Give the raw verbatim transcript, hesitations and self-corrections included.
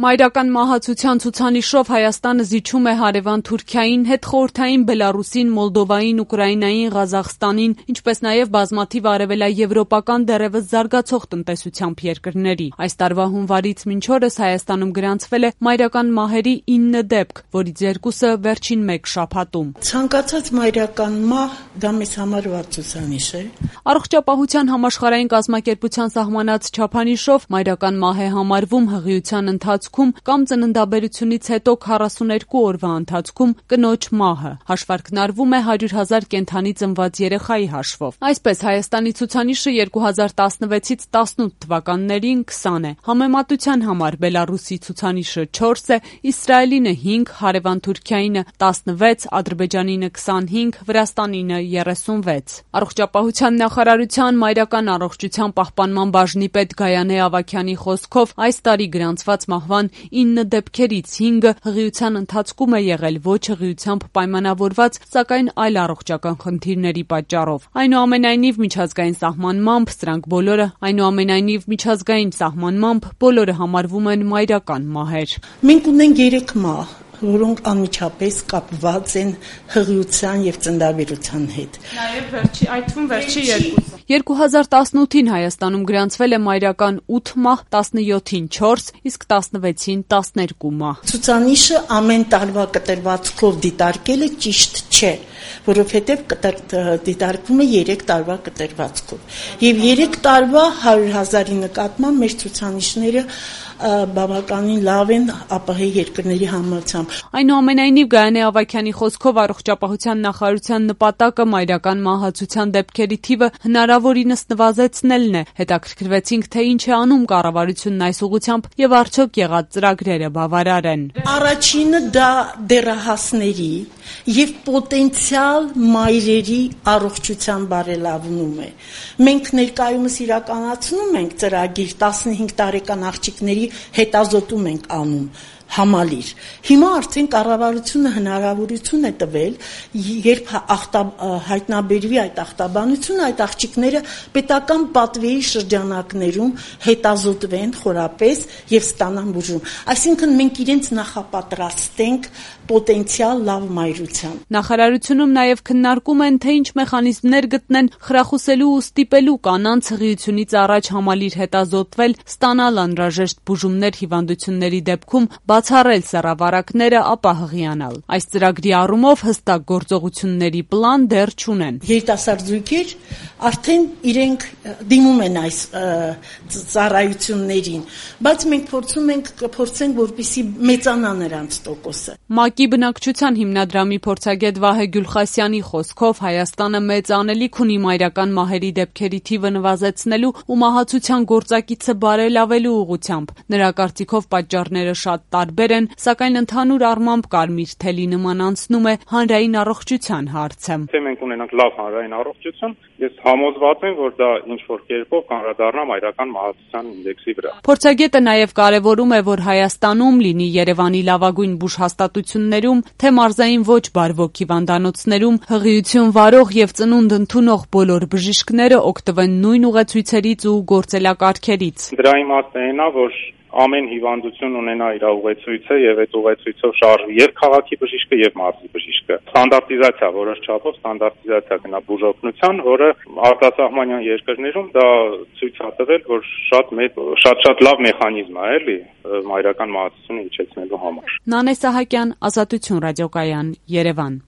Մայրական մահացության ցուցանիշով Հայաստանը զիջում է հարևան Թուրքիային, հետխորհրդային Բելարուսին, Մոլդովային, Ուկրաինային, Ղազախստանին, ինչպես նաև բազմաթիվ արևելաեվրոպական դեռևս զարգացող տնտեսությամբ երկրների։ Այս տարվա հունվարից մինչ օրս Հայաստանում գրանցվել է մայրական մահերի ինը դեպք, որից երկուսը վերջին մեկ շաբաթում։ Ցանկացած մայրական մահ դա մեզ համար վատ ցուցանիշ է։ Առողջապահության համաշխարհային կազմակերպության սահմանած չափանիշով մայրական մահ է համարվում հղիության ընթացքում կամ ծննդաբերությունից հետո քառասուներկու օրվա ընթացքում կնոջ մահը։ Հաշվարկն արվում է հարյուր հազար կենդանի ծնված երեխայի հաշվով։ Այսպես Հայաստանի ցուցանիշը երկու հազար տասնվեցից տասնութ թվականներին քսան է։ Համեմատության համար Բելարուսի ցուցանիշը չորս է, Իսրայելինը հինգ, հարևան Թուրքիայինը տասնվեց, Ադրբեջանինը քսանհինգ, Վրաստանինը երեսունվեց։ Առողջապահության նախարարության մայրական առողջության պահպանման բաժնի պետ Գայանե Ավագյանի խոսքով այս տարի գրանցված մահվան ինը դեպքերից հինգը հղիության ընթացքում է եղել ոչ հղիությամբ պայմանավորված, սակայն այլ առողջական խնդիրների պատճառով։ Այնուամենայնիվ միջազգային սահմանմամբ սրանք բոլորը այնուամենայնիվ միջազգային սահմանմամբ բոլորը համարվում են մայրական մահեր։ Մենք ունենք երեք մահ, որոնք անմիջապես կապված են հղիության եւ ծննդաբերության հետ։ Նաեւ վերջի այդ թվում վերջի երկուսը։ երկու հազար տասնութին Հայաստանում գրանցվել է մայրական ութ մահ, տասնյոթին չորս, իսկ տասնվեցին տասներկու մահ։ Ցուցանիշը ամեն տարվա կտրվածքով դիտարկելը ճիշտ չէ, որովհետեւ դիտարկվում է երեք տարվա կտրվածքով։ Եվ երեք տարվա հարյուր հազարի նկատմամբ մեր ցուցանիշները բավականին լավ են ԱՊՀ երկրների համեմատությամբ։ Այնուամենայնիվ Գայանե Ավագյանի խոսքով առողջապահության նախարարության նպատակը մայրական մահացության դեպքերի թիվը հնարավորինս նվազեցնելն է։ Հետաքրքրվեցինք, թե ինչ է անում կառավարությունն այս ուղղությամբ եւ արդյոք եղած ծրագրերը բավարար են։ Առաջինը դա դեռահասների եւ պոտենցիալ մայրերի առողջության բարելավում է։ Մենք ներկայումս իրականացնում ենք ծրագիր տասնհինգ տարեկան աղջիկների հետազոտում ենք անում համալիր։ Հիմա արդեն կառավարությունը հնարավորություն է տվել, երբ հայտնաբերվի այդ ախտաբանությունը, այդ աղջիկները պետական պատվերի շրջանակներում հետազոտվեն խորապես եւ ստանան բուժում։ Այսինքն մենք իրենց նախապատրաստենք պոտենցիալ լավ մայրության։ Նախարարությունում նաև քննարկում են, թե ինչ մեխանիզմներ գտնեն խրախուսելու ու ստիպելու կանանց հղիությունից առաջ համալիր հետազոտվել, ստանալ անհրաժեշտ բուժումներ հիվանդությունների դեպքում, բացառել սեռավարակները, ապա հղիանալ։ Այս ծրագրի առումով հստակ գործողությունների պլան դեռ չունեն։ Երիտասարդ զույգեր արդեն իրենք դիմում են այս ծառայություններին, բայց մենք փորձում ենք փորձենք, որպեսզի մեծանա նրանց տոկոսը։ ՄԱԿ-ի բնակչության հիմնադրամի փորձագետ Վահե Գյուլխասյանի խոսքով Հայաստանը մեծ անելիք ունի մայրական մահերի դեպքերի թիվը նվազեցնելու ու մահացության գործակիցը բարելավելու ուղղությամբ։ Նրա կարծիքով պատճառները շատ տարբեր են, սակայն ընդհանուր առմամբ կարմիր թելի նման անցնում է հանրային առողջության հարցը։ Թե մենք ունենանք լավ հանրային առողջություն, ես համոզված եմ, որ դա ինչ-որ կերպով կանդրադառնա մայրական մահացության ինդեքսի վրա։ Փորձագետը նաև կարևորում է, որ Հայաստանում լինի Երևանի լավագույն բուժհաստատություններում, թե մարզային ոչ բարվոք հիվանդանոցներում հղիություն վարող եւ ծնունդ ընդունող բոլոր բժիշկները օգտվեն նույն ուղեցույցերից ու գործելակարգերից։ Դրա իմաստը այն է, որ ամեն հիվանդություն ունենա իր ուղեցույցը եւ այդ ուղեցույցով շարժվի եւ քաղաքի բժիշկը եւ մարզի բժիշկը։ Ստանդարտիզացիա, որոշ չափով ստանդարտիզացիա գնա բուժօգնության, որը արտասահմանյան երկրներում դա ցույց է տվել, որ շատ մեծ շատ-շատ լավ մեխանիզմ է, էլի, մայրական մահացությունը իջեցնելու համար։ Նանե Սահակյան, Ազատություն ռադիոկայան, Երևան։